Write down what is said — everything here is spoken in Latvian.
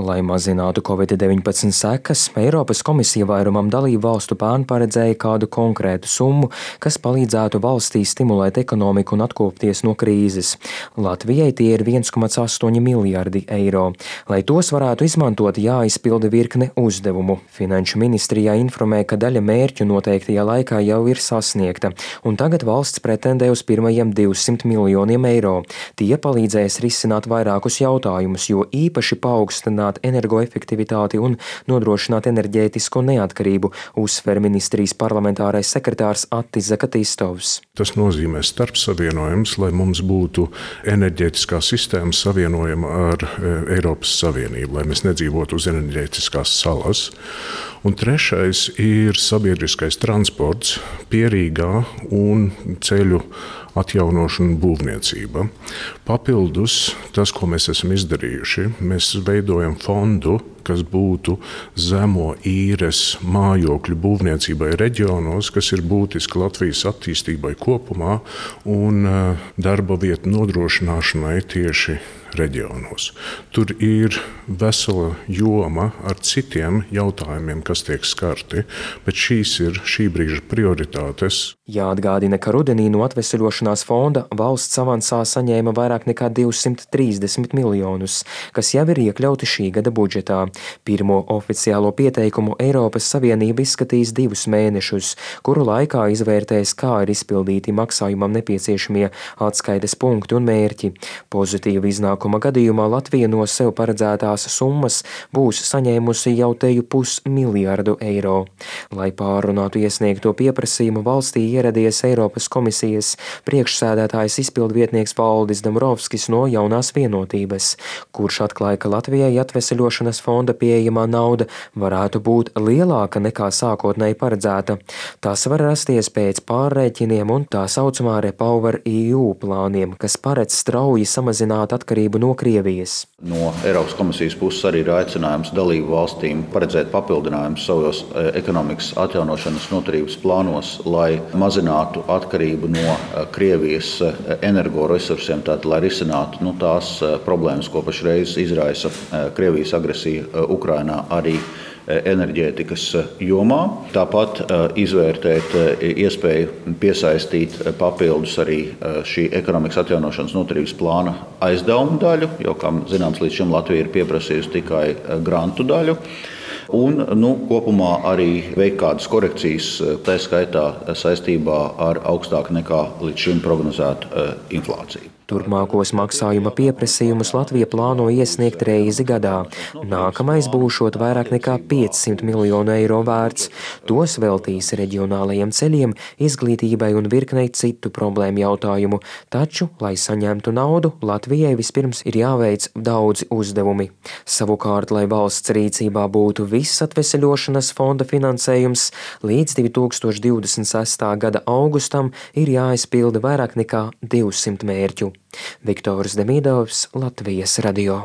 Lai mazinātu Covid-19 sekas, Eiropas komisija vairumam dalību valstu pērn paredzēja kādu konkrētu summu, kas palīdzētu valstī stimulēt ekonomiku un atkopties no krīzes. Latvijai tie ir 1,8 miljardi eiro. Lai tos varētu izmantot, jāizpilda virkne uzdevumu. Finanšu ministrijā informē, ka daļa mērķu noteiktajā laikā jau ir sasniegta, un tagad valsts pretendē uz pirmajiem 200 miljoniem eiro. Tie palīdzēs risināt vairākus jautājumus, jo īpaši paaugstināt energoefektivitāti un nodrošināt enerģētisko neatkarību, uzsver ministrijas parlamentārais sekretārs Attis Zakatistovs. Tas nozīmē starpsavienojums, lai mums būtu enerģētiskā sistēma savienojama ar Eiropas Savienību, lai mēs nedzīvotu uz enerģētiskās salas. Un trešais ir sabiedriskais transports, pierīgā un ceļu atjaunošana un būvniecība. Papildus tas, ko mēs esam izdarījuši, mēs veidojam fondu, kas būtu zemo īres mājokļu būvniecībai reģionos, kas ir būtiski Latvijas attīstībai kopumā un darba vietu nodrošināšanai tieši reģionos. Tur ir vesela joma ar citiem jautājumiem, kas tiek skarti, bet šīs ir šī brīža prioritātes. Jāatgādina, ka rudenī no atveseļošanās fonda valsts avansā saņēma vairāk nekā 230 miljonus, kas jau ir iekļauti šī gada budžetā. Pirmo oficiālo pieteikumu Eiropas Savienība izskatīs 2 mēnešus, kuru laikā izvērtēs, kā ir izpildīti maksājumam nepieciešamie atskaites punkti un mērķi. Pozitīva iznākuma gadījumā Latvija no sev paredzētās summas būs saņēmusi jau teju 500 miljardu eiro. Lai pārrunātu iesniegto pieprasījumu, valstī ieradies Eiropas komisijas priekšsēdētājs izpildvietnieks Valdis Dombrovskis no Jaunās vienotības, kurš atklāja, ka Latvijai atveseļošanas fonda pieejamā nauda varētu būt lielāka nekā sākotnēji paredzēta. Tas var rasties pēc pārrēķiniem un tā saucamā REPowerEU plāniem, kas paredz strauji samazināt atkarību no Krievijas. No Eiropas komisijas puses arī ir aicinājums dalību valstīm paredzēt papildinājumus savos ekonomikas atjaunošanas noturības plānos, lai mazinātu atkarību no Krievijas energoresursiem, tātad, lai risinātu tās problēmas, ko pašreiz izraisa Krievijas agresija Ukrainā arī enerģētikas jomā. Tāpat izvērtēt iespēju piesaistīt papildus arī šī ekonomikas atjaunošanas noturības plāna aizdevumu daļu, jo, kā zināms, līdz šim Latvija ir pieprasījusi tikai grantu daļu. Un kopumā arī veikt kādas korekcijas, tā skaitā saistībā ar augstāku nekā līdz šim prognozētu inflāciju. Turpmākos maksājuma pieprasījumus Latvija plāno iesniegt reizi gadā. Nākamais būšot vairāk nekā 500 miljonu eiro vērts. Tos veltīs reģionālajiem ceļiem, izglītībai un virknei citu problēmu jautājumu. Taču, lai saņemtu naudu, Latvijai vispirms ir jāveic daudzi uzdevumi. Savukārt, lai valsts rīcībā būtu viss atveseļošanas fonda finansējums, līdz 2026. gada augustam ir jāizpilda vairāk nekā 200 mērķu. Viktors Demidovs, Latvijas radio.